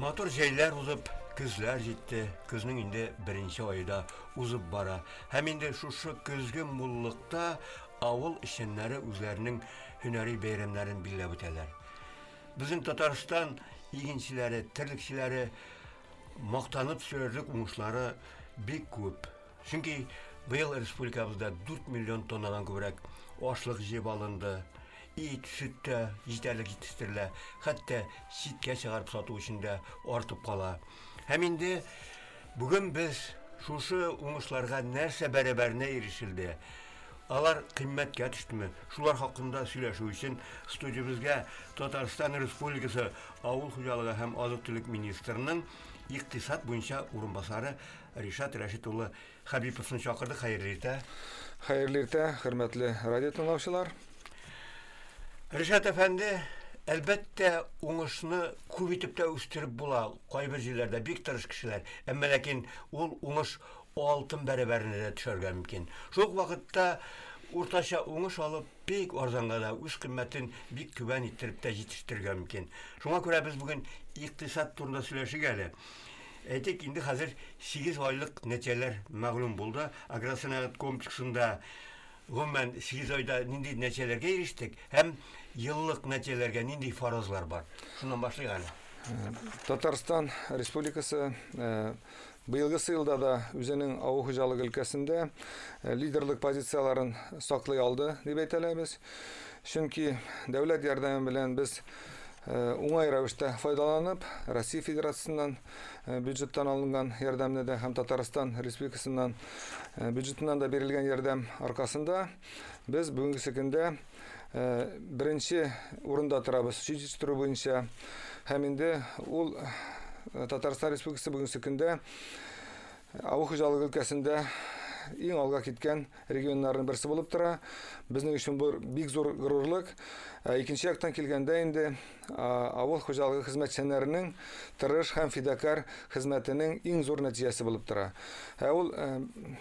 Матур җәйләр узып, көзләр җитте. Көзнең инде беренче ае да узып бара. Һәм инде шушы көзге муллыкта авыл эшчәннәре үзләренең һөнәри бәйрәмнәрен билгеләп үтәләр. Безнең Татарстан игенчеләре, терлекчеләре мактанып сөйләрлек уңышлары бик күп. Чөнки быел республикабызда 4 миллион тоннадан күбрәк ашлык җыеп алынды. Ит, сөт тә җитәрлек җитештерелә, хәтта читкә чыгарып сату өчен дә артып кала. Һәм инде бүген без шушы уңышларга нәрсә бәрабәренә ирешелде, алар кыйммәткә төштеме, шулар хакында сөйләшү өчен студиябезгә Татарстан Республикасы Авыл хуҗалыгы һәм азык-төлек министрының икътисад буенча урынбасары Ришат Рәшит улы Хәбиповны чакырдык. Хәерле иртә. Хәерле иртә, хөрмәтле радио тыңлаучылар. Ришат әфәнде, әлбәттә, уңышны күп итеп тә үстереп була. Кайбер җирләрдә бик тырыш кешеләр. Әмма ләкин ул уңыш алтын бәрабәренә дә төшәргә мөмкин. Шул ук вакытта уртача уңыш алып, бик арзанга да, үз кыйммәтен бик түбән иттереп тә җитештерергә мөмкин. Шуңа күрә без бүген икътисад турында сөйләшик әле. Әйтик, инде хәзер 8 айлык нәтиҗәләр мәгълүм булды. Агросәнәгать комплексында гомумән 8 айда нинди нәтиҗәләргә ирештек һәм еллык нәтиҗәләргә нинди фаразлар бар? Шуннан башлыйк әле. Татарстан Республикасы быелгысы елда да үзенең авыл хуҗалыгы өлкәсендә лидерлык позицияләрен саклый алды дип әйтә алабыз. Чөнки дәүләт ярдәме белән без уңай рәвештә файдаланып, Россия Федерациясеннән бюджеттан алынган ярдәмне дә һәм Татарстан Республикасыннан бюджетыннан да бирелгән ярдәм аркасында без бүгенге көндә беренче урында торабыз сөт җитештерү буенча. Һәм инде ул Татарстан Республикасы бүгенге көндә авыл хуҗалыгы өлкәсендә иң алга киткән регионнарның берсе булып тора. Безнең өчен бу бик зур горурлык. Икенче яктан килгәндә инде авыл хуҗалыгы хезмәтчәннәренең тырыш һәм фидакарь хезмәтенең иң зур нәтиҗәсе булып тора. Ә ул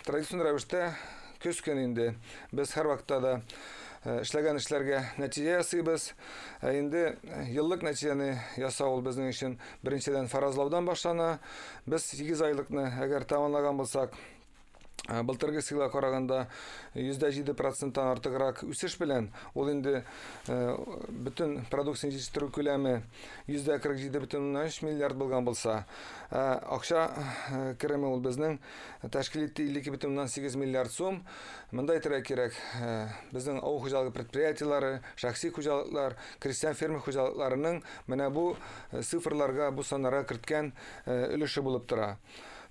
традицион рәвештә көз көне инде без һәрвакытта да эшләгән эшләргә нәтиҗә ясыйбыз. Ә инде еллык нәтиҗәне ясау ул безнең өчен беренчедән фаразлаудан башлана. Без 8 айлыкны әгәр тәмамлаган булсак, былтыргы елга караганда 107%-тан артыграк үсеш белән, ул инде бөтен продукцияне җитештерү күләме 147,3 миллиард булган булса, акча кереме ул безнең тәшкил итте 52,8 миллиард сум. Монда әйтергә кирәк, безнең авыл хуҗалыгы предприятиеләре, шәхси хуҗалыклар, крестьян фермер хуҗалыкларының менә бу цифрларга, бу саннарга керткән өлеше булып тора.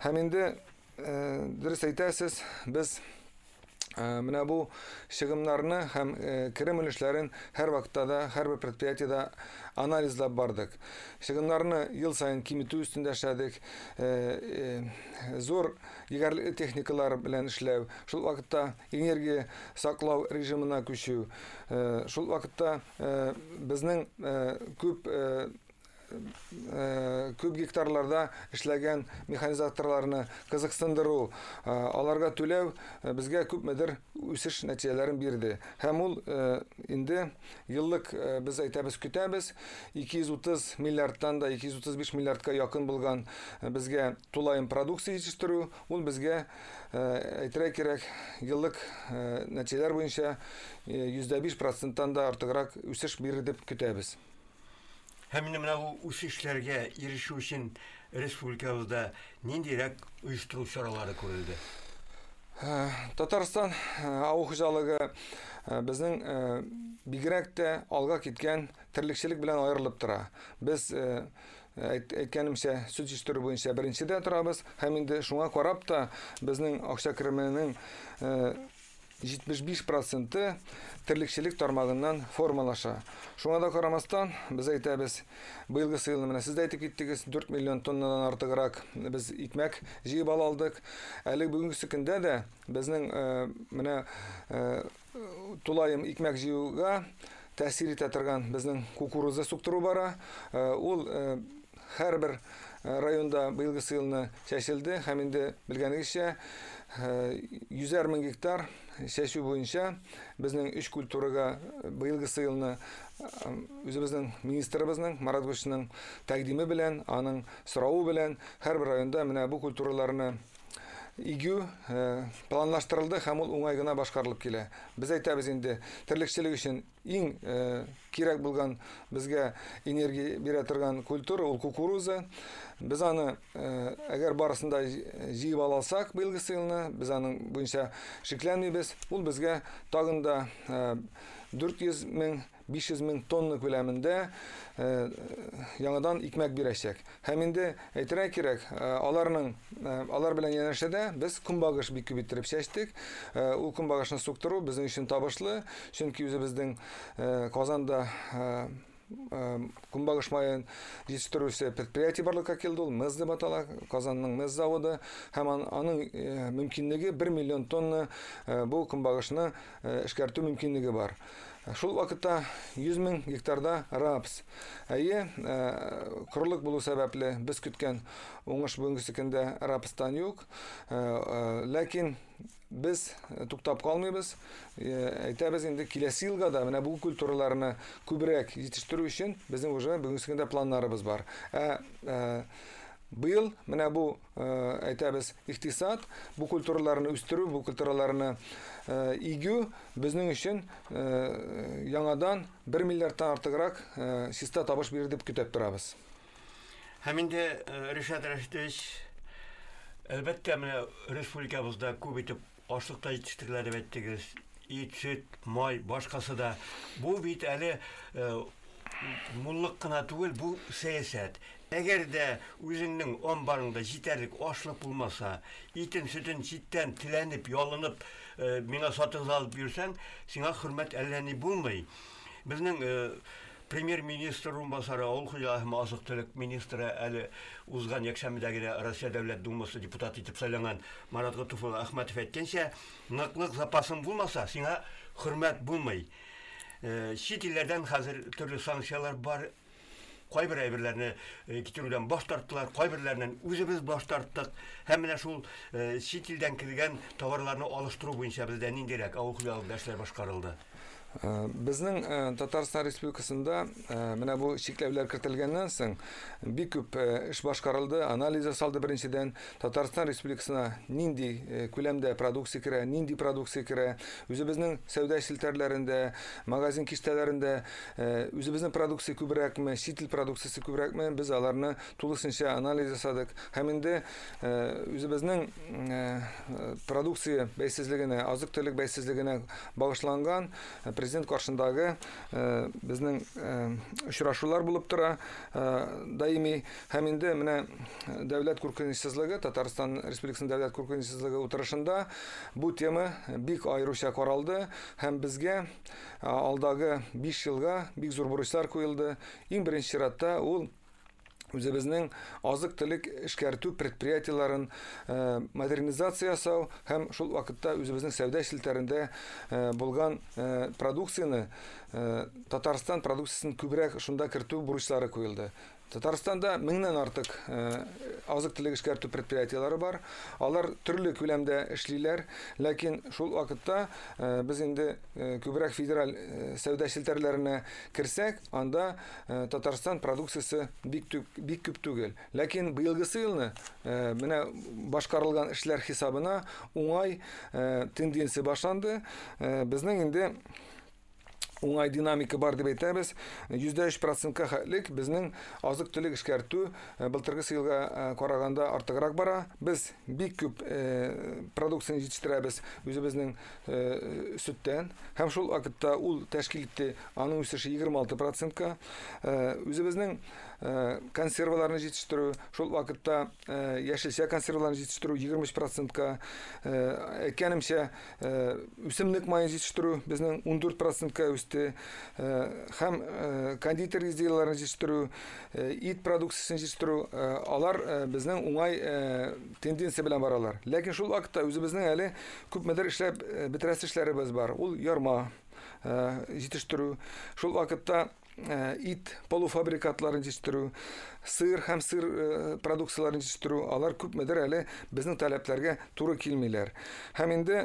Һәм инде дөрес әйтәсез, без менә бу чыгымнарны һәм керем өлешләрен һәр вакытта да, һәрбер предприятиедә анализлап бардык. Чыгымнарны ел саен киметү өстендә эшләдек. Зур егәрле техникалар белән эшләү, шул вакытта энергия саклау режимына күчү, шул вакытта безнең күп күп гектарларда эшләгән механизаторларны кызыксындыру, аларга түләү безгә күпмедер үсеш нәтиҗәләрен бирде. Һәм ул инде еллык без әйтәбез, көтәбез, 230 миллиардтан да 235 миллиардка якын булган безгә тулаем продукция җитештерү, ул безгә әйтергә кирәк, еллык нәтиҗәләр буенча 105%-тан да артыграк үсеш бирер дип көтәбез. Һәм инде менә бу үсешләргә ирешү өчен республикабызда ниндирәк оештыру чаралары күрелде? Татарстан авыл хуҗалыгы безнең бигрәк тә алга киткән терлекчелек белән аерылып тора. Без әйткәнемчә, сөт җитештерү буенча беренчедә торабыз һәм инде шуңа карап та безнең акча кеременең 75% терлекчелек тармагыннан формалаша. Шуңа да карамастан, без әйтәбез, быелгы елны менә сез дә әйтеп киттегез, 4 миллион тоннадан артыграк без икмәк җыеп ала алдык. Әле бүгенге көндә дә безнең менә тулаем икмәк җыюга тәэсир итә торган безнең кукуруза суктыру бара. Ул Һәрбер районда быелгысы елны чәчелде һәм инде белгәнегезчә, 100 мең гектар чәчү буенча безнең өч культурага быелгысы елны үзебезнең министрыбызның Марат Гошның тәкъдиме белән, аның соравы белән һәрбер районда менә бу культураларны игү планлаштырылды һәм ул уңай гына башкарылып килә. Без әйтәбез инде, терлекчелек өчен иң кирәк булган, безгә энергия бирә торган культура ул кукуруза. Без аны әгәр барысын да җыеп ала алсак быелгысы елны, без аның буенча шикләнмибез. Ул безгә тагын да 400 мең, 500 мең тонна күләмендә яңадан икмәк бирәчәк. Һәм инде әйтергә кирәк, алар белән янәшәдә без көнбагыш бик күп иттереп чәчтек. Ул көнбагышны суктыру безнең өчен табышлы, чөнки үзебезнең Казанда көнбагыш маен җитештерүче предприятие барлыкка килде, ул МЭЗ дип атала, Казанның МЭЗ заводы, һәм аның мөмкинлеге 1 миллион тонна бу көнбагышны эшкәртү мөмкинлеге бар. Шул вакытта 100 мең гектарда рапс. Әйе, корылык булу сәбәпле без көткән уңыш бүгенге көндә рапстан юк. Ләкин без туктап калмыйбыз. Әйтәбез инде, киләсе елга да менә бу культураларны күбрәк җитештерү өчен безнең уже бүгенге көндә планнарыбыз бар. Ә быел менә бу, әйтәбез, икътисад, бу культураларны үстерү, бу культураларны игү безнең өчен яңадан 1 миллиардтан артыграк чиста табыш бирер дип көтеп торабыз. Һәм инде, Ришат Рәшитович, әлбәттә, менә республикабызда күп итеп ашлык та җитештерелә дип әйттегез. Ит, сөт, май, башкасы да. Бу бит әле муллык кына түгел, бу сәясәт. Әгәр дә үзеңнең амбарыңда җитәрлек ашлык булмаса, итен, сөтен читтән теләнеп, ялынып, миңа сатып алып йөрсәң, сиңа хөрмәт әллә ни булмый. Безнең премьер-министр урынбасары, авыл хуҗалыгы һәм азык-төлек министры, әле узган якшәмбедә генә Россия Дәүләт Думасы депутаты итеп сайланган Марат Готуфулла Әхмәтов әйткәнчә, ныклык запасың булмаса, сиңа хөрмәт булмый. Чит илләрдән хәзер төрле санкцияләр бар. Кайбер әйберләрне китерүдән баш тарттылар, кайберләреннән үзебез баш тарттык. Һәм менә шул чит илдән кергән товарларны алыштыру буенча бездә ниндирәк авыл хуҗалыгында эшләр башкарылды? Безнең Татарстан Республикасында менә бу чикләүләр кертелгәннән соң бик күп эш башкарылды, анализ ясалды. Беренчедән, Татарстан Республикасына нинди күләмдә продукция керә, нинди продукция керә, үзебезнең сәүдә челтәрләрендә, магазин киштәләрендә үзебезнең продукция күбрәкме, чит ил продукциясе күбрәкме, без аларны тулысынча анализ ясадык. Һәм инде үзебезнең продукция бәйсезлегенә, азык-төлек бәйсезлегенә багышланган президент каршындагы безнең очрашулар булып тора даими. Һәм инде менә дәүләт куркынычсызлыгы, Татарстан Республикасының дәүләт куркынычсызлыгы утырышында бу тема бик аеруча каралды һәм безгә алдагы 5 елга бик зур бурычлар куелды. Иң беренче чиратта ул үзебезнең азык-төлек эшкәртү предприятиеләрен модернизация ясау һәм шул вакытта үзебезнең сәүдә челтәрендә булган продукцияне, Татарстан продукциясен күбрәк шунда кертү бурычлары куелды. Татарстанда меңнән артык азык-төлек эшкәртү предприятиеләре бар. Алар төрле күләмдә эшлиләр, ләкин шул вакытта без инде күбрәк федераль сәүдә челтәрләренә керсәк, анда Татарстан продукциясе бик бик күп түгел. Ләкин быелгысы елны менә башкарылган эшләр хисабына уңай тенденция башланды. Безнең инде уңай динамика бар дип әйтәбез. 3% хәтлек безнең азык-төлек эшкәртү былтыргы елга караганда артыграк бара. Без бик күп продукцияне җитештерәбез үзебезнең сөттән. Һәм шул вакытта ул тәшкил итте, аның үсеше 26%-ка. Үзебезнең консерваларны җитештерү, шул вакытта яшелчә консерваларны җитештерү 23%-ка. Әйткәнемчә, үсемлек маен җитештерү безнең 14%-ка үсте. Һәм кондитер изделиеләрен җитештерү, ит продукциясен җитештерү, алар безнең уңай тенденция белән баралар. Ләкин шул вакытта үзебезнең әле күпмедер эшләп бетерәсе эшләребез бар. Ул ярма җитештерү, шул вакытта ит полуфабрикатларын җитештерү. сыр һәм сыр продукцияләрен җитештерү, алар күпмедер әле безнең таләпләргә туры килмиләр. Һәм инде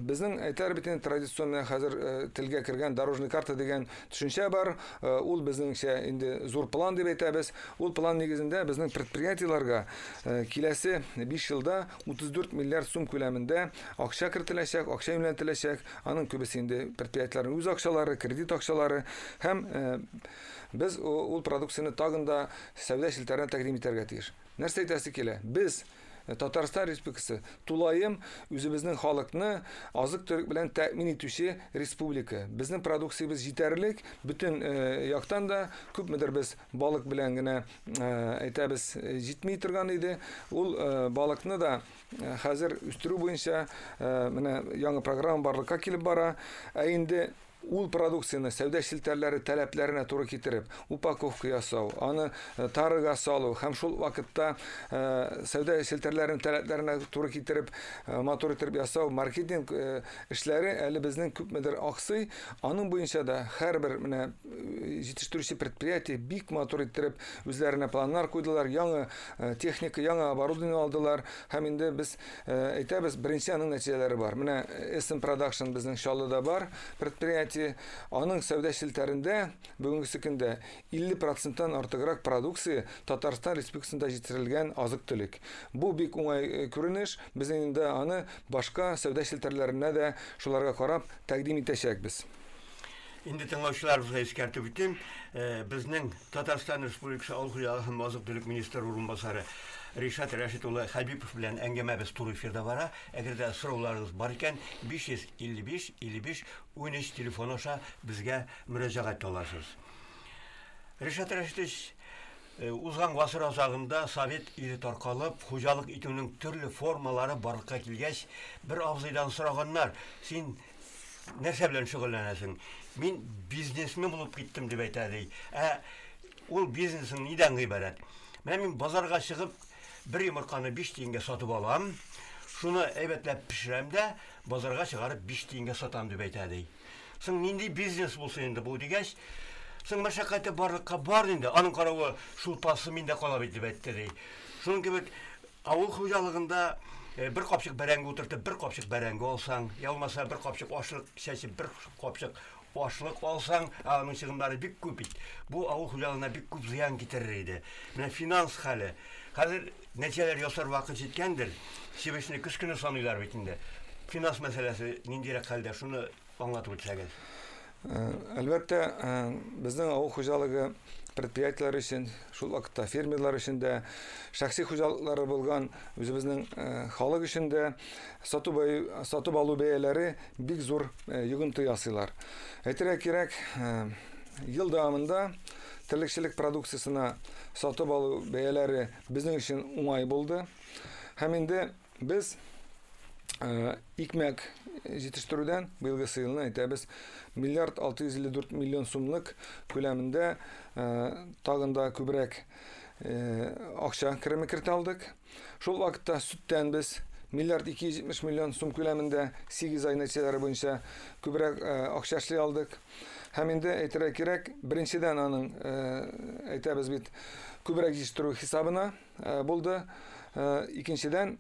безнең әйтәр бит инде традицион хәзер телгә кергән дорожный карта дигән төшенчә бар. Ул безнеңчә инде зур план дип әйтәбез. Ул план нигезендә безнең предприятиеләргә киләсе 5 елда 34 миллиард сум күләмендә акча кертеләчәк, акча юнәлтеләчәк. Аның күбесе инде предприятиеләрнең үз акчалары, кредит акчалары һәм без ул продукцияне тагын да сәүдә челтәренә тәкъдим итәргә тиеш. Нәрсә әйтәсе килә? Без Татарстан Республикасы тулаем үзебезнең халыкны азык-төлек белән тәэмин итүче республика. Безнең продукциябез җитәрлек, бөтен яктан да күпмедер без балык белән генә әйтәбез җитми торган иде. Ул балыкны да хәзер үстерү буенча менә яңа программа барлыкка килеп бара. Ә инде ул продукцияне сәүдә челтәрләре таләпләренә туры китереп, упаковка ясау, аны тарыга салу һәм шул вакытта сәүдә челтәрләренең таләпләренә туры китереп, матур итеп ясау, маркетинг эшләре әле безнең күпмедер аксый. Аның буенча да һәрбер менә җитештерүче предприятие бик матур иттереп үзләренә планнар куйдылар, яңа техника, яңа оборудование алдылар һәм инде без әйтәбез, беренче аның нәтиҗәләре бар. Менә SM Production безнең Чаллыда бар предприятие. Аның сәүдә челтәрендә бүгенге көндә 50%-тан артыграк продукция Татарстан Республикасында җитештерелгән азык-төлек. Бу бик уңай күренеш. Без инде аны башка сәүдә челтәрләренә дә шуларга карап тәкъдим итәчәкбез. Инде тыңлаучыларыбызга искәртеп үтим, безнең Татарстан Республикасы Авыл хуҗалыгы һәм азык-төлек министры урынбасары Ришат Рәшит улы Хәбипов белән әңгәмәбез туры эфирда бара. Әгәр дә сорауларыгыз бар икән, 555 55 13 телефон аша безгә мөрәҗәгать итә аласыз. Ришат Рәшитович, узган гасыр азагында Совет иле таркалып, хуҗалык итүнең төрле формалары барлыкка килгәч, бер абзыйдан сораганнар: "Син нәрсә белән шөгыльләнәсең?" "Мин бизнесмен булып киттем", дип әйтә ди. Ә ул бизнесың нидән гыйбарәт? "Менә мин базарга чыгып, бер йомырканы 5 тиенгә сатып алам, шуны әйбәтләп пешерәм дә, базарга чыгарып 5 тиенгә сатам", дип әйтә ди. Соң нинди бизнес булсын инде бу дигәч, соң мәшәкате барлыкка бар инде, аның каравы шулпасы миндә кала бит, дип әйтте ди. Шуның кебек авыл хуҗалыгында бер капчык бәрәңге утыртып, бер капчык бәрәңге алсаң, я булмаса бер капчык ашлык чәчеп, бер капчык ашлык алсаң, аның чыгымнары бик күп бит. Бу авыл хуҗалыгына бик күп зыян китерер иде. Менә финанс хәле. Хәзер нәтиҗәләр ясар вакыт җиткәндер. Чебешне көз көне саныйлар бит инде. Финанс мәсьәләсе ниндирәк хәлдә, шуны аңлатып үтсәгез. Әлбәттә, безнең авыл хуҗалыгы предприятиеләре өчен, шул вакытта фермерлар өчен дә, шәхси хуҗалыклары булган үзебезнең халык өчен дә сатып алу бәяләре бик зур йогынты ясыйлар. Әйтергә кирәк, ел дәвамында терлекчелек продукциясенә сатып алу бәяләре безнең өчен уңай булды. Һәм инде без икмәк җитештерүдән быелгы елны әйтәбез, миллиард 654 миллион сумлык күләмендә тагын да күбрәк акча кереме кертә алдык. Шул вакытта сөттән без миллиард 270 миллион сум күләмендә 8 ай нәтиҗәләре буенча күбрәк акча эшли алдык. Һәм инде әйтергә кирәк, беренчедән аның әйтәбез бит, күбрәк җитештерү хисабына булды. Икенчедән,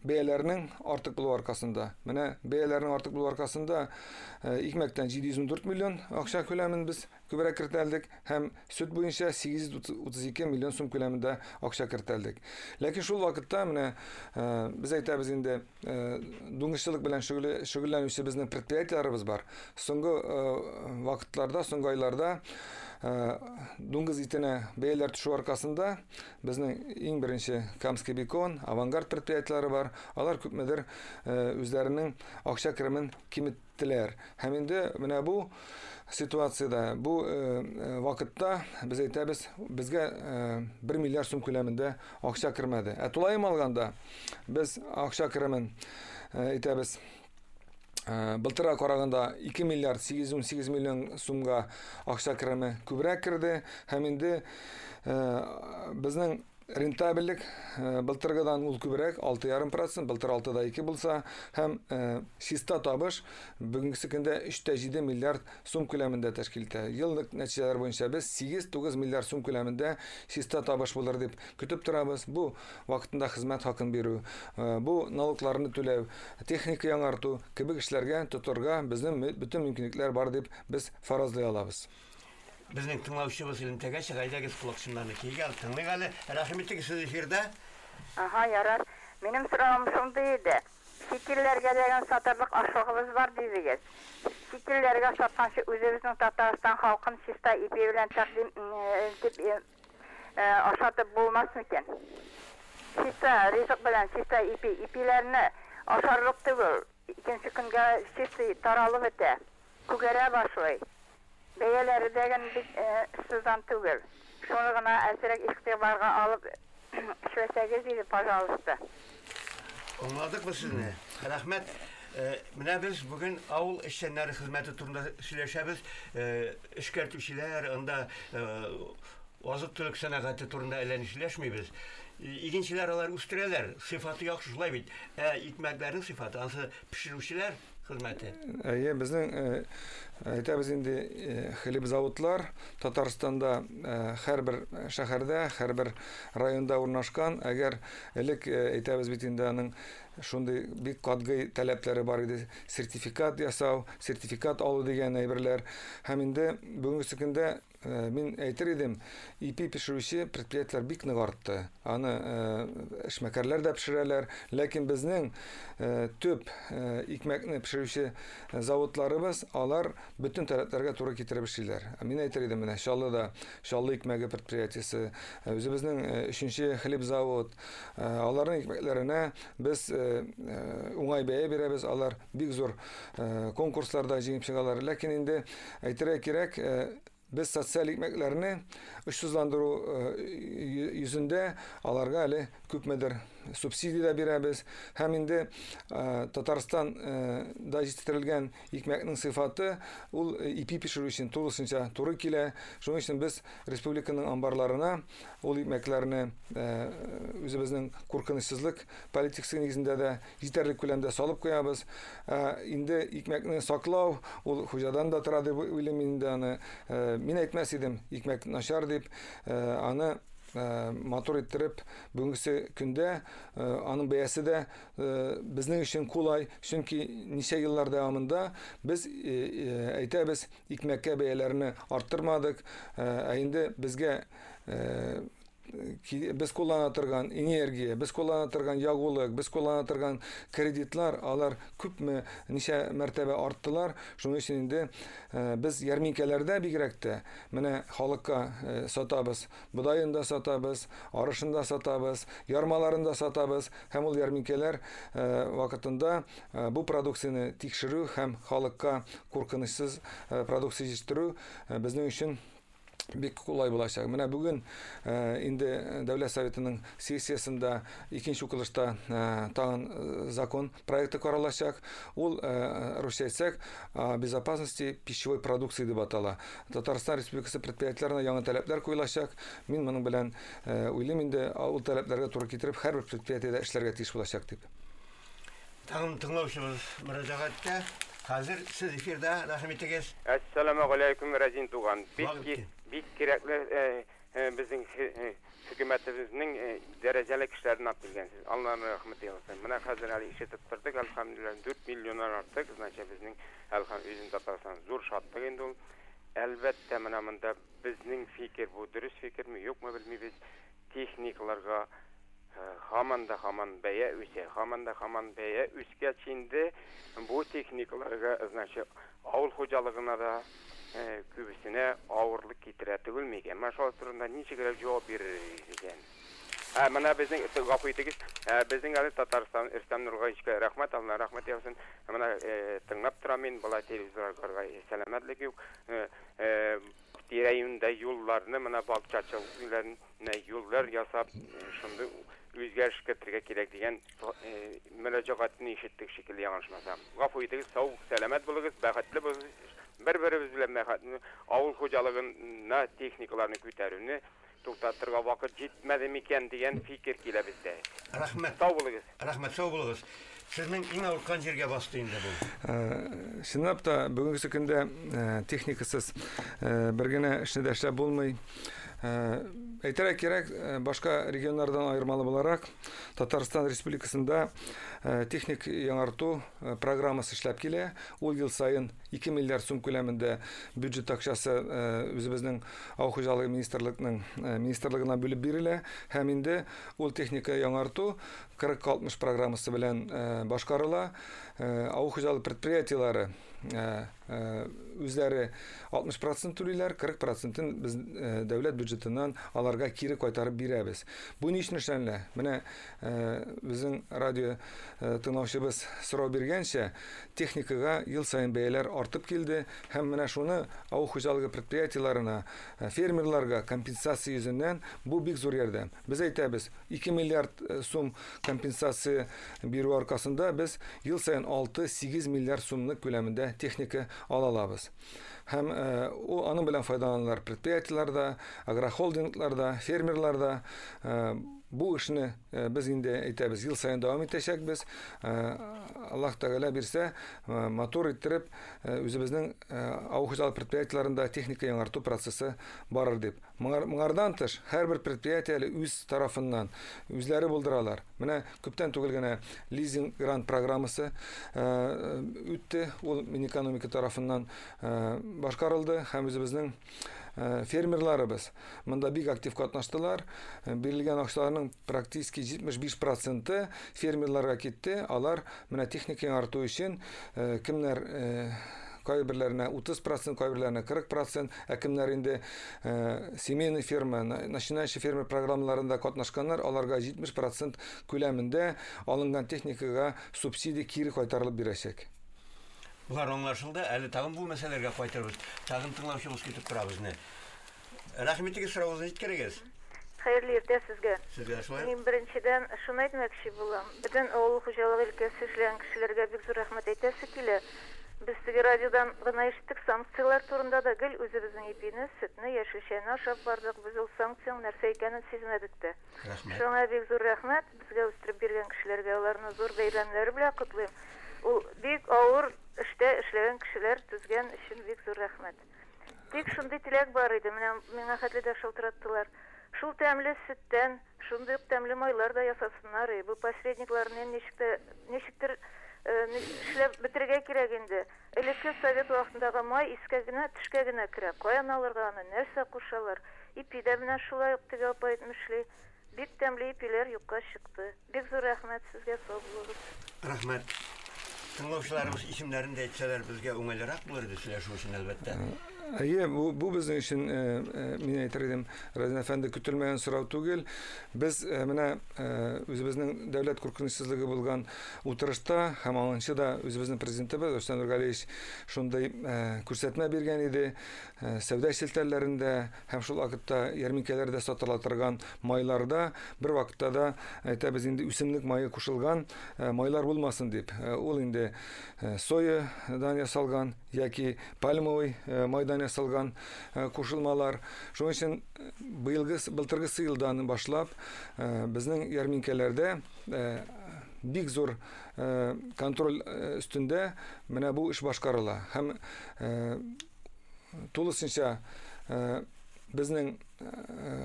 бәяләрнең артык булуы аркасында. Менә бәяләрнең артык булуы аркасында икмәктән 714 миллион акча күләмен без күбрәк кертәлдек һәм сөт буенча 832 миллион сум күләмендә акча кертәлдек. Ләкин шул вакытта менә без әйтәбез инде, дуңгызчылык белән шөгыльләнүче безнең предприятиеләребез бар. Соңгы вакытларда, соңгы айларда дуңгыз итенә бәяләр төшү аркасында безнең иң беренче Камский бекон, Авангард предприятиеләре бар. Алар күпмедер үзләренең акча керемен киметтеләр. Һәм инде менә бу ситуациядә, бу вакытта без әйтәбез, безгә 1 миллиард сум күләмендә акча кермәде. Ә тулаем алганда без акча керемен әйтәбез, былтырга караганда 2 миллиард 818 миллион сумга акча кереме күбрәк керде. Һәм инде безнең Рентабельлек былтыргыдан ул күбрәк, 6,5%, былтыр 6,2 булса, һәм чиста табыш бүгенге көндә 3,7 миллиард сум күләмендә тәшкил итә. Еллык нәтиҗәләр буенча без 8-9 миллиард сум күләмендә чиста табыш булыр дип көтеп торабыз. Бу вакытында хезмәт хакын бирү, бу налогларны түләү, техника яңарту кебек эшләргә тотырга безнең бөтен мөмкинлекләр бар дип без фаразлый алабыз. Безнең тыңлаучыбыз элемтәгә чыга, әйдәгез колакчыннарны кигә, тыңлыйк әле. Рәхим итегез, сез эфирда. Ага, ярар. Минем соравым шундый иде. Чит илләргә дигән сатырлык ашлыгыбыз бар дидегез. Чит илләргә сатканчы үзебезнең Татарстан халкын чиста ипи белән тәкъдим итеп ашатып булмас микән? Чиста ризык белән чиста ипи, ипиләрне ашарлык түгел. Икенче көнгә чистый таралып бетә, күгәрә башлый. Бәяләре дәген бик сыздан түгел. Шуны гына әзрәк игътибарга алып эшләсәгез иде, пожалуйста. Аңладык без сезне. Рәхмәт. Менә без бүген авыл эшчәннәре хезмәте турында сөйләшәбез. Эшкәртүчеләр, анда азык-төлек сәнәгате турында әллә ни сөйләшмибез. Игенчеләр алар үстерәләр, сыйфаты яхшы шулай бит. Ә икмәкләрнең сыйфаты, ансы пешерүчеләр хезмәте. Әйе, безнең әйтәбез инде хлебзаводлар Татарстанда һәрбер шәһәрдә, һәрбер районда урнашкан. Әгәр элек әйтәбез бит инде аның шундый бик катгый таләпләре бар иде. Сертификат ясау, сертификат алу дигән әйберләр. Һәм инде бүгенге көндә мин әйтер идем, ипи пешерүче предприятиеләр бик нык артты. Аны эшмәкәрләр дә пешерәләр, ләкин безнең төп икмәкне пешерүче заводларыбыз, алар бөтен таләпләргә туры китереп эшлиләр. Мин әйтер идем, менә Чаллыда Чаллы икмәге предприятиесе, үзебезнең 3нче хлебзавод, аларның икмәкләренә без уңай бәя бирәбез, алар бик зур конкурсларда җиңеп чыгалар. Ләкин инде әйтергә кирәк, без социаль икмәкләрне очсызландыру йөзендә аларга әле күпмедер субсидия дә бирәбез. Һәм инде Татарстанда җитештерелгән икмәкнең сыйфаты ул ипи пешерү өчен тулысынча туры килә. Шуның өчен без республиканың амбарларына ул икмәкләрне үзебезнең куркынычсызлык политикасы нигезендә дә җитәрлек күләмдә салып куябыз. Инде икмәкне саклау ул хуҗадан да тора дип уйлыйм инде аны. Мин әйтмәс идем, икмәк начар дип, аны матур иттереп, бүгенге көндә аның бәясе дә безнең өчен кулай, чөнки ничә еллар дәвамында без әйтәбез, икмәккә бәяләрне арттырмадык, ә инде безгә без куллана торган энергия, без куллана торган ягулык, без куллана торган кредитлар, алар күпме, ничә мәртәбә арттылар. Шуның өчен инде без ярминкәләрдә бигрәк тә менә халыкка сатабыз, бодаен да сатабыз, арышын да сатабыз, ярмаларын да сатабыз, һәм ул ярминкәләр вакытында бу продукцияне тикшерү һәм халыкка куркынычсыз продукция җитештерү безнең өчен бик кулай булачак. Менә бүген инде Дәүләт Советының сессиясендә икенче укылышта тагын закон проекты каралачак. Ул, русча әйтсәк, о безопасности пищевой продукции дип атала. Татарстан Республикасы предприятиеләренә яңа таләпләр куелачак. Мин моның белән уйлыйм инде, ул таләпләргә туры китереп һәрбер предприятиедә эшләргә тиеш булачак дип. Тагын тыңлаучыбыз мөрәҗәгатьтә. Хәзер сез эфирда, рәхим итегез. Әссәламү галәйкүм, Рәзин туган. Бик кирәкле безнең хөкүмәтебезнең дәрәҗәле кешеләрен алып килгәнсез. Аллаһның рәхмәте яусын. Менә хәзер әле ишетеп тордык, әлхәмдүлилләһ, 4 миллионнан артык, значит, безнең әлхәм үзен Татарстан зур шатлык инде ул. Әлбәттә, менә монда безнең фикер бу дөрес фикерме, юкмы белмибез. Техникаларга һаман да һаман бәя үсә, һаман да һаман бәя үскәч инде бу техникаларга, значит, авыл хуҗалыгына да күбесенә авырлык китерә түгелме икән? Менә шул турында ничек җавап бирер икән? Менә безнең, гафу итегез, безнең әле Татарстан Рөстәм Нургалиевичка рәхмәт, Алла рәхмәт яусын. Менә тыңлап торам мин, болай телевизорга сәламәтлек юк. Тирә-юньдә юлларны, менә бакчачыларны юллар ясап, шундый үзгәреш кертергә кирәк дигән мөрәҗәгатьне ишеттек шикелле, яңлышмасам. Гафу итегез, сау, сәламәт булыгыз, бәхетле булыгыз. Бер-беребез белән бәхетле авыл хуҗалыгына техникаларны күтәрүне Туктатырга вакыт җитмәде микән дигән фикер килә бездә. Рәхмәт. Сау булыгыз. Рәхмәт, сау булыгыз. Сезнең иң авырткан җиргә басты инде бу. Чынлап та, бүгенге көндә техникасыз бер генә эшне дә эшләп булмый. Әйтергә кирәк, башка регионнардан аермалы буларак, Татарстан Республикасында техник яңарту программасы эшләп килә. Ул ел саен 2 миллиард сум күләмендә бюджет акчасы үзебезнең авыл хуҗалыгы министрлыгының министрлыгына бүлеп бирелә һәм инде ул техника яңарту 40-60 программасы белән башкарыла. Авыл хуҗалыгы предприятиеләре үзләре 60% түлиләр, 40%-ын без дәүләт бюджетыннан аларга кире кайтарып бирәбез. Бу ни өчен эшләнелә? Менә безнең радио тыңлаучыбыз сорау биргәнчә, техникага ел саен бәяләр артып килде һәм менә шуны авыл хуҗалыгы предприятиеләренә, фермерларга компенсация йөзеннән бу бик зур ярдәм. Без әйтәбез, 2 миллиард сум компенсация бирү аркасында без ел саен 6-8 миллиард сумлык күләмендә техника ала алабыз. Һәм ул аның белән файдаланалар предприятиеләр дә, агрохолдинглар да, фермерлар да. Бу эшне без инде әйтәбез, ел саен дәвам итәчәкбез. Аллаһ Тәгалә бирсә, матур иттереп, үзебезнең авыл хуҗалык предприятиеләрендә техника яңарту процессы барыр дип. Моңардан тыш, һәрбер предприятие әле үз тарафыннан үзләре булдыралар. Менә күптән түгел генә лизинг грант программасы үтте. Ул Минэкономика тарафыннан башкарылды һәм үзебезнең фермерларыбыз монда бик актив катнаштылар. Бирелгән акчаларның практически 75% фермерларга китте. Алар менә техника яңарту өчен кемнәр кайберләренә 30%, кайберләренә 40%, ә кемнәр инде семейный ферма, начинающий фермер программаларында катнашканнар, аларга 70% күләмендә алынган техникага субсидия кире кайтарылып бирәчәк. Болар аңлашылды. Әле тагын бу мәсьәләләргә кайтырбыз. Тагын тыңлаучыбыз көтеп тора безне. Рәхмәт итегез, соравыгызны җиткерегез. Хәерле иртә сезгә. Сезгә шулай. Мин беренчедән шуны әйтмәкче булам. Бөтен авыл хуҗалыгы өлкәсе эшләгән кешеләргә бик зур рәхмәт әйтәсе килә. Без теге радиодан гына ишеттек санкцияләр турында да, гел үзебезнең ипине, сөтне, яшелчәне ашап бардык. Без ул санкциянең нәрсә икәнен сизмәдек тә. Рәхмәт. Шуңа бик зур рәхмәт безгә үстереп биргән кешеләргә, аларны зур бәйрәмнәре белән котлыйм. Ул бик авыр эштә эшләгән кешеләр түзгән өчен бик зур рәхмәт. Тик шундый теләк бар иде, менә миңа хәтле дә шалтыраттылар. Шул тәмле сөттән, шундый ук тәмле майлар да ясасыннар. Бу посредникларны ничектер эшләп бетерергә кирәк инде. Элекке совет вакытындагы май искә генә, төшкә генә керә. Каян алырга аны, нәрсә кушалар? Ипи дә менә шулай ук теге апа әйтмешли. Бик тәмле ипиләр юкка чыкты. Бик зур рәхмәт сезгә, сау булыгыз. Рәхмәт. Тыңлаучыларыбыз исемнәрен дә әйтсәләр, безгә уңайлырак булыр иде сөйләшү өчен, әлбәттә. Әйе, бу безнең өчен, мин әйтер идем, Разин әфәнде, көтелмәгән сорау түгел. Без менә үзебезнең дәүләт куркынычсызлыгы булган утырышта һәм аңынчы да үзебезнең президентыбыз Рөстәм Нургалиевич шундый күрсәтмә биргән иде. Сәүдә челтәрләрендә һәм шул вакытта ярминкәләрдә сатыла торган майларда бер вакытта да әйтәбез инде үсемлек мае кушылган майлар булмасын дип. Ул инде соядан ясалган яки пальмовый майдан ясалган кушылмалар. Шуның өчен былтыргы елдан башлап безнең ярминкәләрдә бик зур контроль өстендә менә бу эш башкарыла. Һәм тулысынча безнең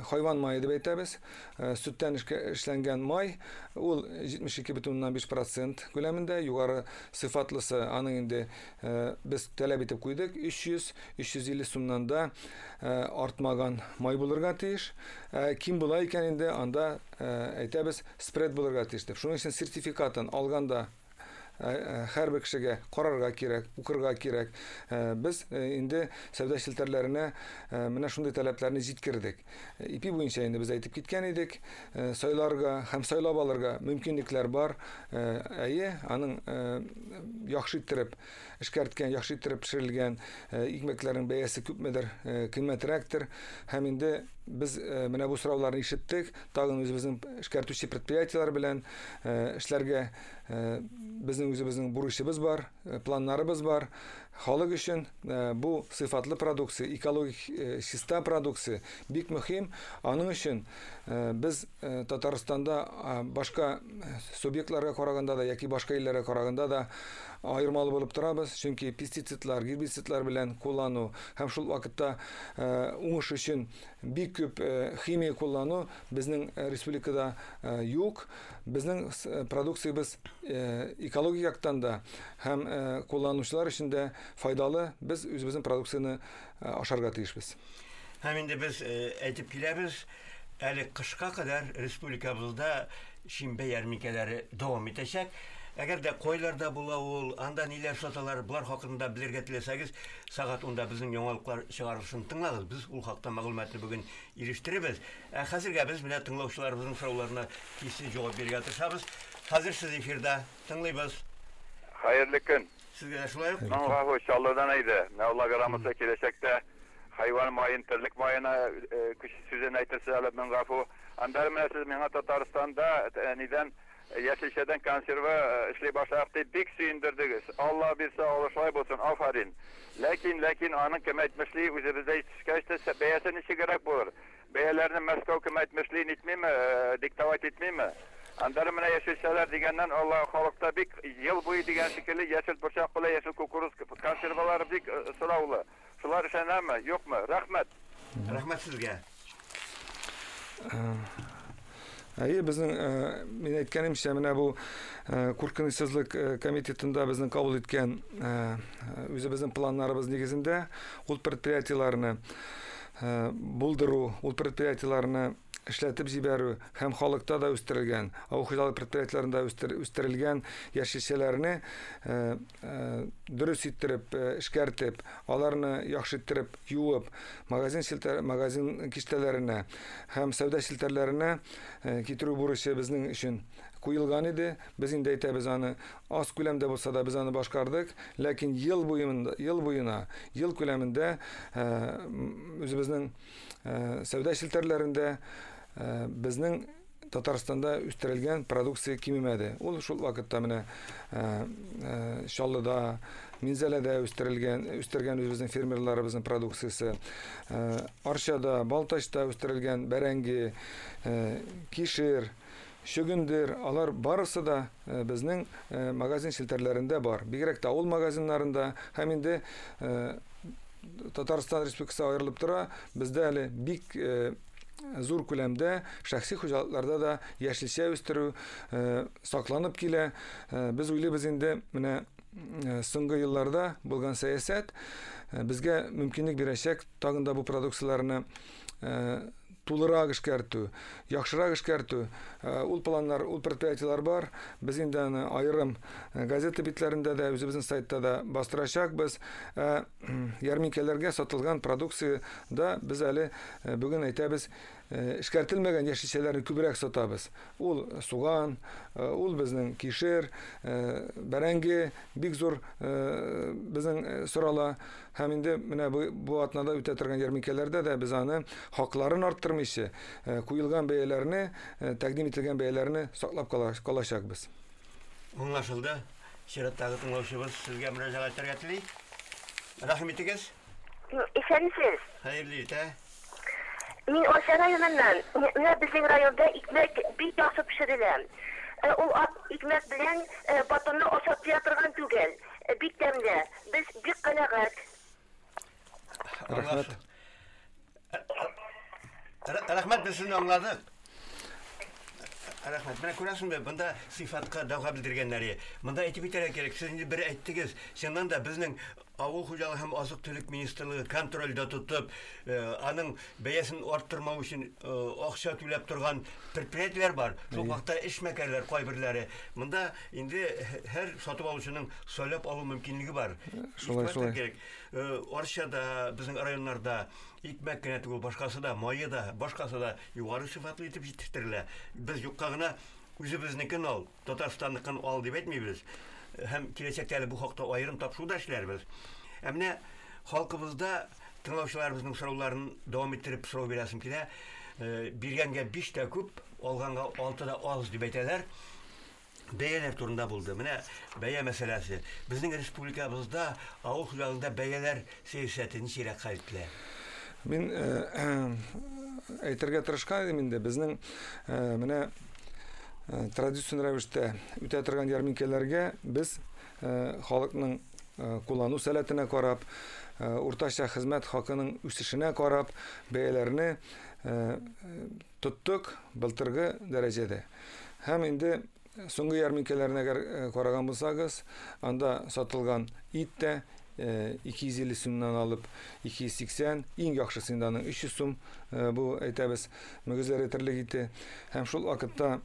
хайван мае дип әйтәбез, сөттән эшләнгән май, ул 72,5% күләмендә, югары сыйфатлысы аның инде без таләп итеп куйдык, 300-350 сумнан да артмаган май булырга тиеш. Ким була икән инде, анда әйтәбез, спред булырга тиеш дип. Шуның өчен сертификатын алганда һәрбер кешегә карарга кирәк, укырга кирәк. Без инде сәүдә челтәрләренә менә шундый таләпләрне җиткердек. Ипи буенча инде без әйтеп киткән идек, сайларга һәм сайлап алырга мөмкинлекләр бар. Әйе, аның яхшы иттереп эшкәрткән, яхшы иттереп пешерелгән икмәкләрнең бәясе күпмедер кыйммәтрәктер. Һәм инде без менә бу сорауларны ишеттек, тагын үзебезнең эшкәртүче предприятиеләр белән эшләргә безнең үзебезнең бурычыбыз бар, планнарыбыз бар. Халык өчен бу сыйфатлы продукция, экологик чиста продукция бик мөһим. Аның өчен без Татарстанда башка субъектларга караганда да яки башка илләргә караганда да аермалы булып торабыз, чөнки пестицидлар, гербицидлар белән куллану һәм шул вакытта уңыш өчен бик күп химия куллану безнең республикада юк. Безнең продукциябез экологик яктан да һәм кулланучылар өчен дә файдалы. Без үзебезнең продукцияне ашарга тиешбез. Һәм инде без әйтеп киләбез, әле кышка кадәр республикабызда шимбә ярминкәләре дәвам итәчәк. Әгәр дә кайларда була ул, анда ниләр саталар, болар хакында белергә теләсәгез, сәгать 10-да безнең яңалыклар чыгарылышын тыңлагыз. Без ул хакта мәгълүматны бүген ирештеребез. Ә хәзергә без менә тыңлаучыларыбызның сорауларына тиз җавап бирергә тырышабыз. Хәзер сез эфирда, тыңлыйбыз. Хәерле көн. Сезгә дә шулай ук. Моңа Чаллыдан әйдә. Менә Алла грамота киләчәктә хайван маен, терлек маена көч сүзен әйтерсез әле, мең гафу. Аннары менә сез миңа Татарстанда нидән яшелчәдән консерва эшли башладык дип бик сөендердегез. Алла бирсә, алла шулай булсын, афәрин. Ләкин, ләкин аның кем әйтмешли, үзебездә җитешкәч тә бәясе ничегрәк булыр? Бәяләрне Мәскәү кем әйтмешли, нитмиме, диктовать итмиме? Аннары менә яшелчәләр дигәннән, Алла халыкта бик ел буе дигән шикелле яшел борчак белән яшел кукуруз консервалары бик сораулы. Шулар эшләнәме, юкмы? Рәхмәт. Рәхмәт сезгә. Әйе, безнең мин әйткәнемчә, менә бу куркынычсызлык комитетында безнең кабул иткән үзебезнең планнарыбыз нигезендә ул предприятиеләрне булдыру, ул предприятиеләрне эшләтеп җибәрү һәм халыкта да үстерелгән, авыл хуҗалык предприятиеләрендә үстерелгән яшелчәләрне дөрес иттереп эшкәртеп, аларны яхшы иттереп юып, магазин челтәр, магазин киштәләренә һәм сәүдә челтәрләренә китерү бурычы безнең өчен куелган иде. Без инде әйтәбез аны, аз күләмдә булса да без аны башкардык, ләкин ел буенда, ел буена, ел күләмендә үзебезнең сәүдә челтәрләрендә безнең Татарстанда үстерелгән продукция кимемәде. Ул шул вакытта менә Чаллыда, Минзәләдә үстерелгән, үстергән үзебезнең фермерларыбызның продукциясе, Арчада, Балтачта үстерелгән бәрәңге, кишер, чөгендер, алар барысы да безнең магазин челтәрләрендә бар. Бигрәк тә авыл магазиннарында һәм инде Татарстан Республикасы аерылып тора, бездә әле бик зур күләмдә шәхси хуҗалыкларда да яшелчә үстерү сакланып килә. Без уйлыйбыз инде, менә соңгы елларда булган сәясәт безгә мөмкинлек бирәчәк тагын да бу продукцияләрне тулырак эшкәртү, яхшырак эшкәртү. Ул планнар, ул предприятиеләр бар. Без инде аны аерым газета битләрендә дә, үзебезнең сайтта да бастырачакбыз. Ярминкәләргә сатылган продукция да без әле бүген әйтәбез, эшкәртелмәгән яшелчәләрне күбрәк сатабыз. Ул суган, ул безнең кишер, бәрәңге бик зур безнең сорала. Һәм инде менә бу атнада үтә торган ярминкәләрдә дә без аны хакларын арттырмыйча, куелган бәяләрне, тәкъдим ителгән бәяләрне саклап калачакбыз. Аңлашылды. Чираттагы тыңлаучыбыз сезгә мөрәҗәгать итәргә тели. Рәхим итегез. Исәнмесез. Хәерле иртә. Мин Арча районыннан. Менә безнең районда икмәк бик яхшы пешерелә. Ул ак икмәк белән батонны ашап туя торган түгел. Бик тәмле. Без бик канәгать. Рәхмәт. Рәхмәт, без сезне аңладык. Рәхмәт. Менә күрәсеңме, бында сыйфатка дәгъва белдергәннәре. Монда әйтеп китәргә кирәк, сез инде бер әйттегез. Чыннан да безнең Авыл хуҗалыгы һәм азык-төлек министрлыгы контрольдә тотып, аның бәясен арттырмау өчен акча түләп торган предприятиеләр бар. Шул вакытта эшмәкәрләр кайберләре. Монда инде һәр сатып алучының сайлап алу мөмкинлеге бар. Шулай, шулай. Арчада, безнең районнарда икмәк кенә түгел, башкасы да, мае да, башкасы да югары сыйфатлы итеп җитештерелә. Без юкка гына үзебезнекен ал, Татарстанныкын ал дип әйтмибез. Һәм киләчәктә әле бу хакта аерым тапшыру да эшләрбез. Ә менә халкыбызда тыңлаучыларыбызның сорауларын дәвам иттереп сорау бирәсем килә. Биргәнгә 5 тә күп, алганга 6 да аз дип әйтәләр. Бәяләр турында булды. Менә бәя мәсьәләсе. Безнең республикабызда авыл хуҗалыгында бәяләр сәясәте ничегрәк хәл ителә? Мин әйтергә тырышкан идем инде, безнең менә традицион рәвештә үтә торган ярминкәләргә без халыкның куллану сәләтенә карап, уртача хезмәт хакының үсешенә карап, бәяләрне тоттык былтыргы дәрәҗәдә. Һәм инде соңгы ярминкәләрне әгәр караган булсагыз, анда сатылган ит тә 250 сумнан алып 280, иң яхшысы инде аның 300 сум, бу әйтәбез, мөгезләре терлек ите. Һәм шул вакытта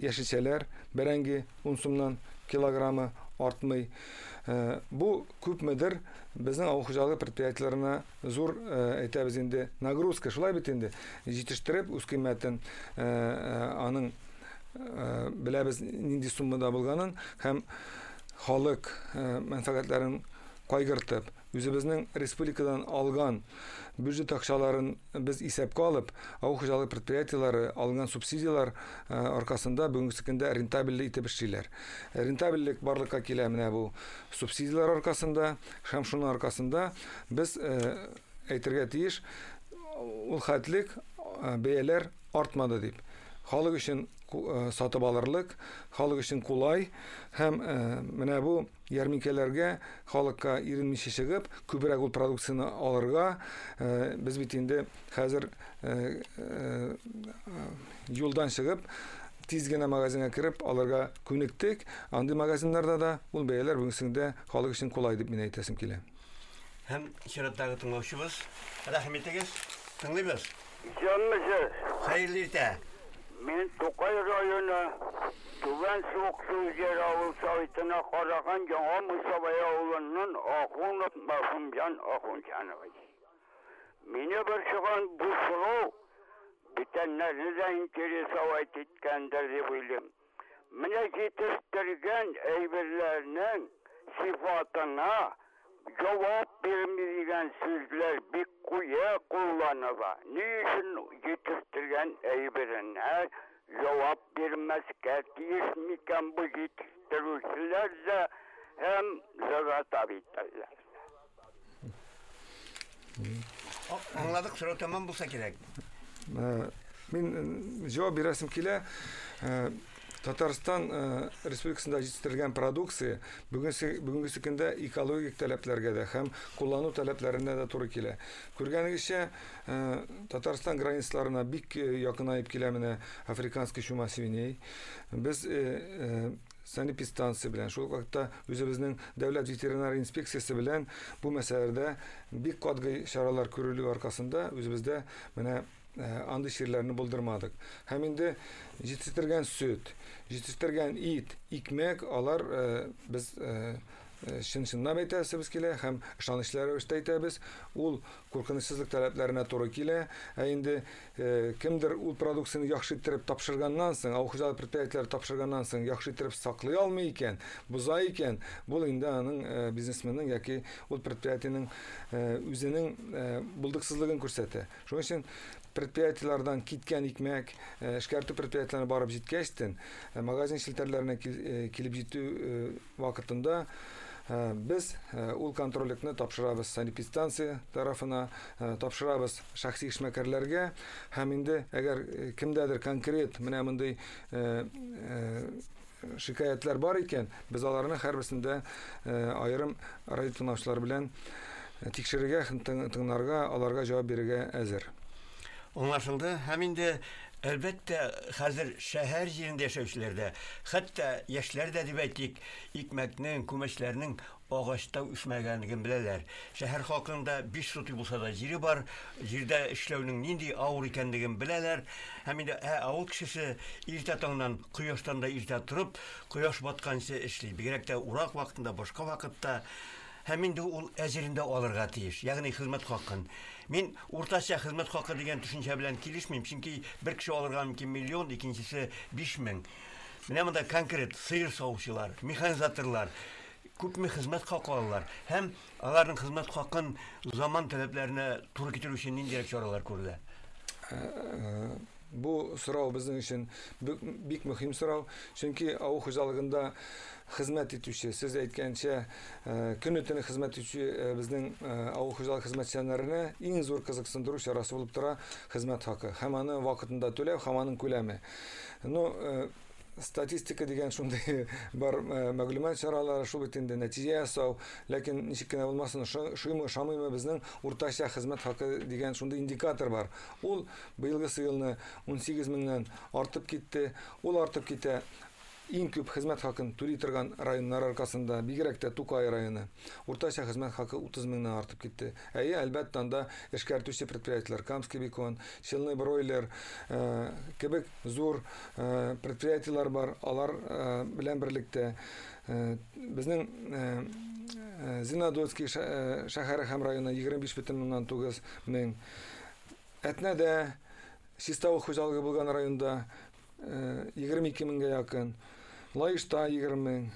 яшелчәләр, бәрәңге 10 сумнан килограммы артмый. Бу күпмедер безнең авыл хуҗалыгы предприятиеләренә зур, әйтәбез инде, нагрузка, шулай бит инде, җитештереп үз кыйммәтен аның беләбез нинди суммада булганын һәм халык мәнфәгатьләрен кайгыртып, үзебезнең республикадан алган бюджет акчаларын без исәпкә алып, авыл хуҗалыгы предприятиеләре алынган субсидияләр аркасында бүгенге көндә рентабельле итеп эшлиләр. Рентабельлек барлыкка килә менә бу субсидияләр аркасында һәм шуның аркасында без әйтергә тиеш, ул хәтлек бәяләр артмады дип. Халык өчен сатып алырлык, халык өчен кулай һәм менә бу ярминкәләргә халыкка иренмичә чыгып, күбрәк ул продукцияне алырга, без бит инде хәзер юлдан чыгып, тиз генә магазинга кереп алырга күнектек. Андый магазиннарда да ул бәяләр бүгенге көндә халык өчен кулай дип мин әйтәсем килә. Һәм чираттагы тыңлаучыбыз, рәхим итегез, тыңлыйбыз. Исәнмесез. Хәерле иртә. Мин Тукай районы Түбән Суыксу җир авыл советына караган Яңа Мусабай авылыннан Ахунов Мәхүмҗан Ахунҗанович. Мине борчыган бу сорау бүтәннәрне дә интересовать иткәндер дип уйлыйм. Менә җитештергән әйберләрнең сифатына җавап бирми дигән сүзләр бик куе кулланыла. Ни өчен җитештергән әйберенә җавап бирмәскә тиеш микән бу җитештерүчеләр дә һәм заготовительләр? Аңладык, сорау тәмам булса кирәк. Мин җавап бирәсем килә. Татарстан Республикасында җитештерелгән продукция бүгенге көндә экологик таләпләргә дә һәм куллану таләпләренә дә туры килә. Күргәнегезчә, Татарстан границаларына бик якынаеп килә менә африканский чума свиней. Без санэпидстанция белән, шул ук вакытта үзебезнең дәүләт ветеринар инспекциясе белән бу мәсьәләдә бик катгый чаралар күрелү аркасында үзебездә менә андый чирләрне булдырмадык. Һәм инде җитештергән сөт, җитештергән ит, икмәк, алар без чын-чынлап әйтәсебез килә һәм ышанычлы рәвештә әйтәбез, ул куркынычсызлык таләпләренә туры килә. Ә инде кемдер ул продукцияне яхшы иттереп тапшырганнан соң, авыл хуҗалык предприятиеләре тапшырганнан соң яхшы иттереп саклый алмый икән, боза икән, бу инде аның бизнесменның яки ул предприятиенең үзенең булдыксызлыгын күрсәтә. Шуның өчен предприятиеләрдән киткән икмәк, эшкәртү предприятиеләренә барып җиткәчтен, магазин челтәрләренә килеп җитү вакытында без ул контрольлекне тапшырабыз санэпидстанция тарафына, тапшырабыз шәхси эшмәкәрләргә. Һәм инде әгәр кемдәдер конкрет менә мондый шикаятьләр бар икән, без аларны һәрберсендә аерым радио тыңлаучылар белән тикшерергә һәм тыңларга, аларга җавап бирергә әзер. Аңлашылды. Һәм инде әлбәттә хәзер шәһәр җирендә яшәүчеләр дә, хәтта яшьләр дә дип әйтик, икмәкнең, күмәчләрнең агачта үсмәгәнлеген беләләр. Шәһәр халкының да 5 сотый булса да җире бар, җирдә эшләүнең нинди авыр икәнлеген беләләр. Һәм инде авыл кешесе иртә таңнан, кояштан да иртә торып, кояш батканчы эшли. Бигрәк тә урак вакытында, башка вакытта. Һәм инде ул әзерендә алырга тиеш, ягъни хезмәт хакын. Мин уртача хезмәт хакы дигән төшенчә белән килешмим, чөнки бер кеше алырга мөмкин миллион, икенчесе 5000. Менә монда конкрет сыер савучылар, механизаторлар күпме хезмәт хакы алалар һәм аларның хезмәт хакын заман таләпләренә туры китерү өчен ниндирәк чаралар күрелә? Бу сорау безнең өчен бик мөһим сорау, чөнки авыл хуҗалыгында хезмәт итүче, сез әйткәнчә, көне-төне хезмәт итүче безнең авыл хуҗалыгы хезмәтчәннәренә иң зур кызыксындыру чарасы булып тора хезмәт хакы һәм аны вакытында түләү һәм аның күләме. Ну, статистика дигән шундый бар мәгълүмат чаралары, шул бит инде нәтиҗә ясау, ләкин ничек кенә булмасын, ошыймы, ошамыймы, безнең уртача хезмәт хакы дигән шундый индикатор бар. Ул быелгысы елны 18 меңнән артып китте. Ул артып китә иң күп хезмәт хакын түли торган районнар аркасында, бигрәк тә Тукай районы. Уртача хезмәт хакы 30 меңнән артып китте. Әйе, әлбәттә, анда эшкәртүче предприятиеләр, Камский бекон, Челны бройлер кебек зур предприятиеләр бар. Алар белән берлектә безнең Зеленодольский шәһәре һәм районы 25,9 мең. Әтнәдә чиста авыл хуҗалыгы булган районда 22 меңгә якын, Лаешта 20 мең,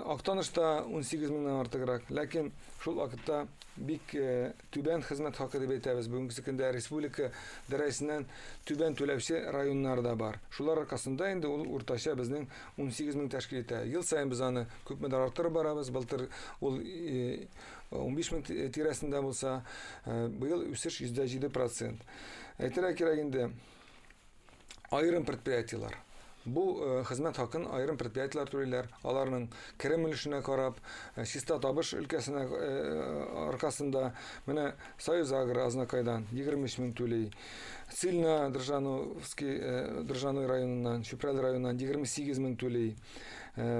Актанышта 18 меңнән артыграк. Ләкин шул вакытта бик түбән хезмәт хакы дип әйтәбез. Бүгенге көндә республика дәрәҗәсеннән түбән түләүче районнар да бар. Шулар аркасында инде ул уртача безнең 18 мең тәшкил итә. Ел саен без аны күпмедер арттырып барабыз. Былтыр ул 15 мең тирәсендә булса, быел үсеш 107%. Әйтергә кирәк инде, аерым предприятиеләр. Бу хезмәт хакын аерым предприятиеләр түлиләр. Аларның керем өлешенә карап, чиста табыш өлкәсенә аркасында менә Союз Агро Азнакайдан 23 мең түли. Цильна Држановский Држаной районыннан, Чүпрәле районыннан 28 мең түли.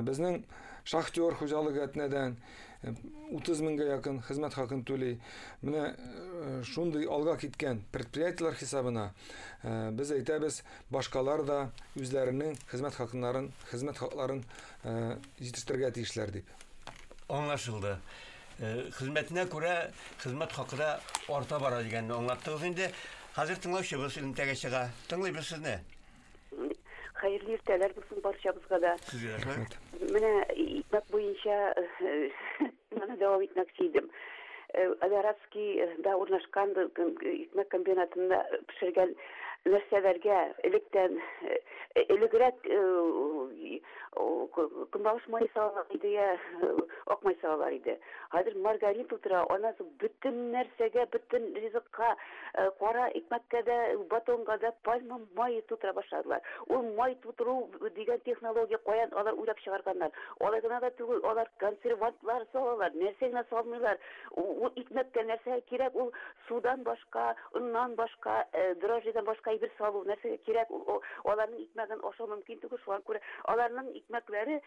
Безнең Шахтер хуҗалыгы Әтнәдән 30 меңгә якын хезмәт хакын түли. Менә шундый алга киткән предприятиеләр хисабына без әйтәбез, башкалар да үзләренең хезмәт хакыннарын, хезмәт хакларын җитештерергә тиешләр дип. Аңлашылды. Хезмәтенә күрә хезмәт хакы да арта бара дигәнне аңлаттыгыз инде. Хәзер тыңлаучыбыз элемтәгә чыга. Тыңлыйбыз сезне. Хәерле иртәләр булсын барчабызга да. Сезгә рәхмәт. Менә икмәк буенча моны дәвам итмәкче идем. Аларадскийда урнашкан икмәк комбинатында пешергән нәрсәләргә электән элегрәк көнбагыш мае салалар иде, я ак май салалар иде. Хәзер маргарин тутыра, аннан соң бөтен нәрсәгә, бөтен ризыкка, кара икмәккә дә, батонга да пальма мае тутыра башладылар. Ул май тутыру дигән технология каян алар уйлап чыгарганнар. Алай гына да түгел, алар консервантлар салалар, нәрсә генә салмыйлар. Ул икмәккә нәрсә кирәк, ул судан башка, оннан башка, дрожжидан башка әйбер салу нәрсәгә кирәк, ул аларның икмәген ашау мөмкин түгел, шуңа күрә аларның икмәкләре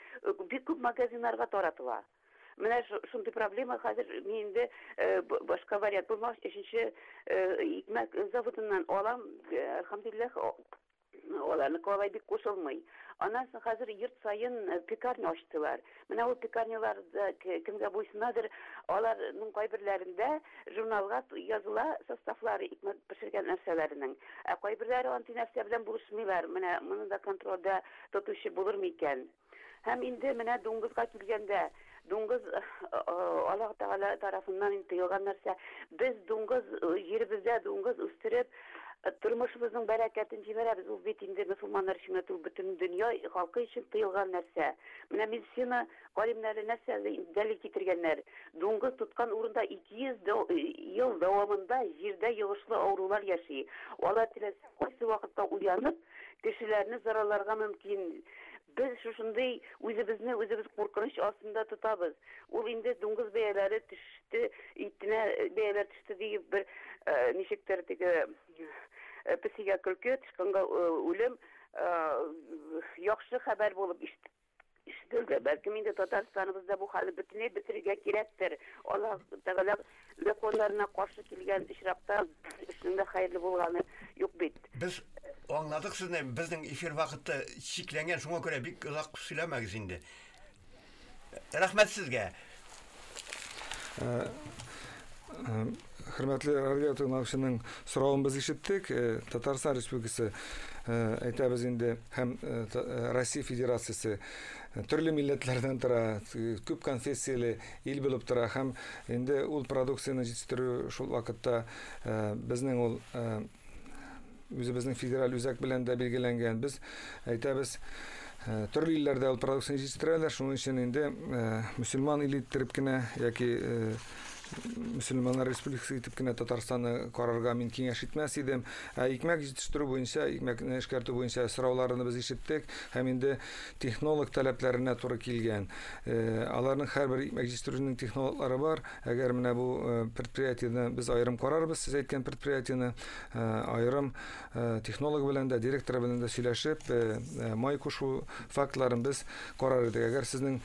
бик күп магазиннарга таратыла. Менә шундый проблема хәзер мин инде башка вариант булмагач, өченче икмәк заводыннан алам, әлхәмдүлилләһ, аларныкы алай бик кушылмый. Аннан соң хәзер йорт саен пекарня ачтылар. Менә ул пекарнялар да кемгә буйсынадыр, аларның кайберләрендә журналга языла составлары икмәк пешергән нәрсәләренең. Ә кайберләре андый нәрсә белән булышмыйлар. Менә моны да контрольдә тотучы булыр микән? Һәм инде менә дуңгызга килгәндә, дуңгыз Аллаһ Тәгалә тарафыннан инде тыелган нәрсә. Без дуңгыз җиребездә дуңгыз үстереп, тормышыбызның бәрәкәтен җибәрәбез. Ул бит инде мөселманнар өчен генә түгел, бөтен дөнья халкы өчен тыелган нәрсә. Менә медицина галимнәре нәрсә дәлил китергәннәр? Дуңгыз тоткан урында 200 ел дәвамында җирдә йогышлы авырулар яши. Алар теләсә кайсы вакытта уянып, кешеләрне зарарларга мөмкин. Без шушындый үзебезне үзебез куркыныч астында тотабыз. Ул инде дуңгыз бәяләре төште, итенә бәяләр төште диеп бер ничектер теге песигә көлке, тычканга үлем яхшы хәбәр булып ишетелде. Бәлкем инде Татарстаныбызда бу хәлне бөтенләй бетерергә кирәктер. Аллаһ Тәгалә законнарына каршы килгән очракта эшнең дә хәерле булганы юк бит. Без аңладык сезне, безнең эфир вакыты чикләнгән, шуңа күрә бик озак сөйләмәгез инде. Рәхмәт сезгә. Хөрмәтле радио тыңлаучының соравын без ишеттек. Татарстан Республикасы әйтәбез инде һәм Россия Федерациясе төрле милләтләрдән тора, күп конфессияле ил булып тора һәм инде ул продукцияне җитештерү шул вакытта безнең ул Үзебезнең федераль үзәк белән дә билгеләнгән. Без әйтәбез, төрле илләрдә ул продукцияне җитештерәләр, шуның өчен инде мөселман иле иттереп кенә яки мөселманнар республикасы итеп кенә Татарстанны карарга мин киңәш итмәс идем. Ә икмәк җитештерү буенча, икмәкне эшкәртү буенча сорауларны без ишеттек һәм инде технолог таләпләренә туры килгән. Аларның һәрбер икмәк җитештерүнең технологлары бар. Әгәр менә бу предприятиене без аерым карарбыз, сез әйткән предприятиене аерым технолог белән дә, директор белән дә сөйләшеп, май кушу фактларын без карар идек. Әгәр сезнең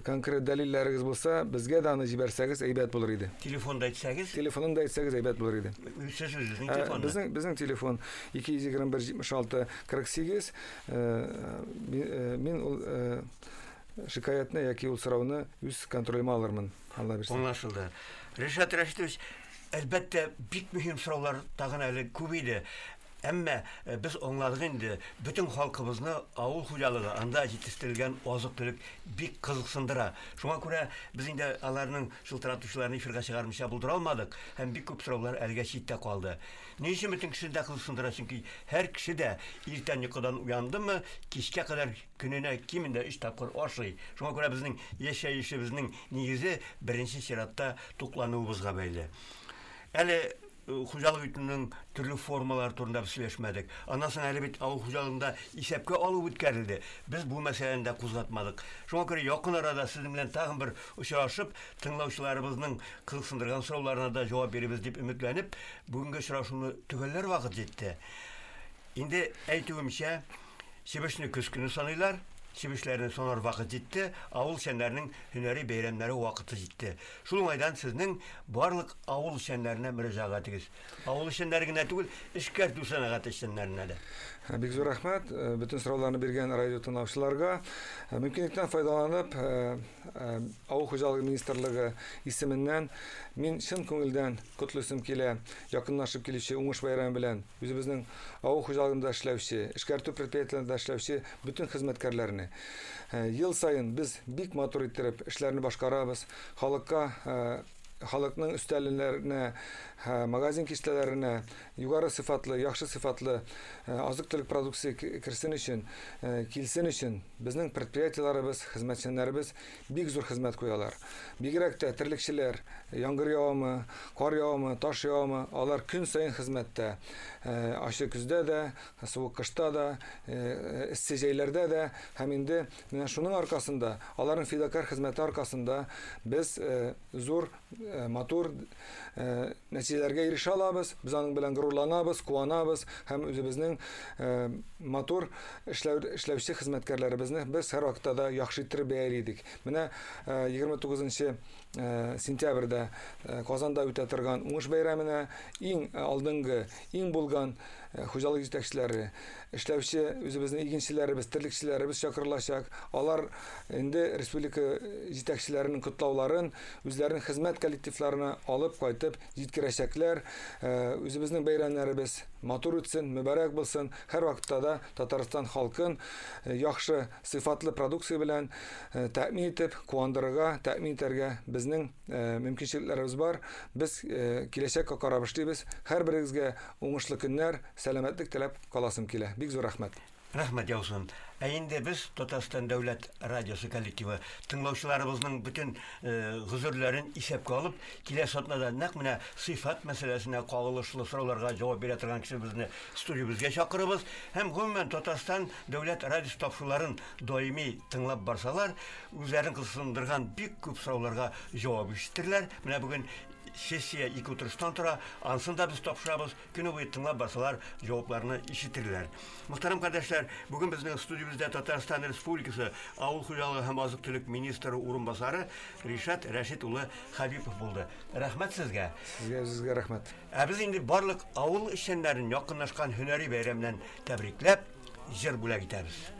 конкрет дәлилләрегез булса, безгә дә аны җибәрсәгез, әйбәт булыр иде. Телефонда әйтсәгез? Телефонын да әйтсәгез, әйбәт булыр иде. Сез үзегезнең телефонны? Безнең безнең телефон 221 76 48. Мин ул шикаятьне яки ул сорауны үз контролемә алырмын, Алла бирсә. Аңлашылды. Ришат Рәшитович, әлбәттә, бик мөһим сораулар тагын әле күп иде. Әмма э, без аңладык инде, бөтен халкыбызны авыл хуҗалыгы, анда җитештерелгән азык-төлек бик кызыксындыра. Шуңа күрә без инде аларның шылтыратучыларны эфирга чыгармыйча булдыра алмадык һәм бик күп сораулар әлегә читтә калды. Ни өчен бөтен кешене дә кызыксындыра? Чөнки һәр кеше дә иртән йокыдан уяндымы, кичкә кадәр көненә кимендә өч тапкыр ашый. Шуңа күрә безнең яшәешебезнең нигезе беренче чиратта туклануыбызга бәйле. Әле э, хуҗалык итүнең төрле формалары турында без сөйләшмәдек. Аннан соң әле бит авыл хуҗалыгында исәпкә алу үткәрелде. Без бу мәсьәләне дә кузгатмадык. Шуңа күрә якын арада сезнең белән тагын бер очрашып, тыңлаучыларыбызның кызыксындырган сорауларына да җавап бирербез дип өметләнеп, бүгенге очрашуны төгәлләр вакыт җитте. Инде әйтүемчә, Чебешне көз көне саныйлар. Чебешләрне санар вакыт җитте, авыл эшчәннәренең һөнәри бәйрәмнәре вакыты җитте. Шул уңайдан сезнең барлык авыл эшчәннәренә мөрәҗәгатегез. Авыл эшчәннәре генә түгел, эшкәртү сәнәгате эшчәннәренә дә. Э, бик зур рәхмәт э, бөтен сорауларны биргән радио тыңлаучыларга. Э, мөмкинлектән файдаланып, авыл хуҗалыгы министрлыгы исеменнән мин чын күңелдән котлыйсым килә якынлашып килүче уңыш бәйрәме белән Үзебезнең авыл хуҗалыгында эшләүче, эшкәртү предприятиеләрендә эшләүче бөтен хезмәткәрләрне. Э, ел саен без бик матур иттереп эшләрне башкарабыз. Халыкка э, халыкның өстәлләренә, э, магазин киштәләренә югары сыйфатлы, яхшы сыйфатлы азык-төлек продукция керсен өчен, килсен өчен безнең предприятиеләребез, хезмәтчәннәребез бик зур хезмәт куялар. Бигрәк тә терлекчеләр, яңгыр явамы, кар явамы, таш явамы, алар көн саен хезмәттә. Э, ачы көздә дә, суык кышта да, э, эссе җәйләрдә дә һәм инде менә шуның аркасында, аларның фидакарь хезмәте аркасында без э, зур, матур нәтиҗәләргә ирешә алабыз. Без аның белән горурланабыз, куанабыз һәм үзебезнең матур эшләү, эшләүче хезмәткәрләребезне без һәрвакытта да яхшы иттереп бәяли идек. Менә 29 сентябрьдә Казанда үтә торган уңыш бәйрәменә иң алдынгы, иң булган хуҗалык җитәкчеләре, эшләүче үзебезнең игенчеләребез, терлекчеләребез чакырылачак. Алар инде республика җитәкчеләренең котлауларын үзләренең хезмәт коллективларына алып кайтып җиткерәчәкләр. Үзебезнең бәйрәмнәребез матур үтсен, мөбарәк булсын. Һәрвакытта да Татарстан халкын яхшы сыйфатлы продукция белән тәэмин итеп, куандырырга, тәэмин итәргә безнең мөмкинчелекләребез бар. Без киләчәккә карап эшлибез. Һәрберегезгә уңышлы көннәр, сәламәтлек теләп каласым килә. Бик зур рәхмәт. Рәхмәт яусын. Ә инде без Татарстан дәүләт радиосы коллективы тыңлаучыларыбызның бөтен э, гозерләрен исәпкә алып, киләсе атнада нәкъ менә сыйфат мәсьәләсенә кагылышлы сорауларга җавап бирә торган кешебезне студиябезгә чакырыбыз һәм гомумән Татарстан дәүләт радиосы тапшыруларын даими тыңлап барсалар, үзләрен кызыксындырган бик күп сорауларга җавап ишетерләр. Менә бүген сессия ике утырыштан тора, анысын да без тапшырабыз. Көне буе тыңлап барсалар, җавапларны ишетерләр. Мөхтәрәм кардәшләр, бүген безнең студиябездә Татарстан Республикасы Авыл хуҗалыгы һәм азык-төлек министры урынбасары Ришат Рәшит улы Хәбипов булды. Рәхмәт сезгә. Сезгә үзегезгә рәхмәт. Ә без инде барлык авыл эшчәннәрен якынлашкан һөнәри бәйрәмнән тәбрикләп, җыр бүләк итәбез.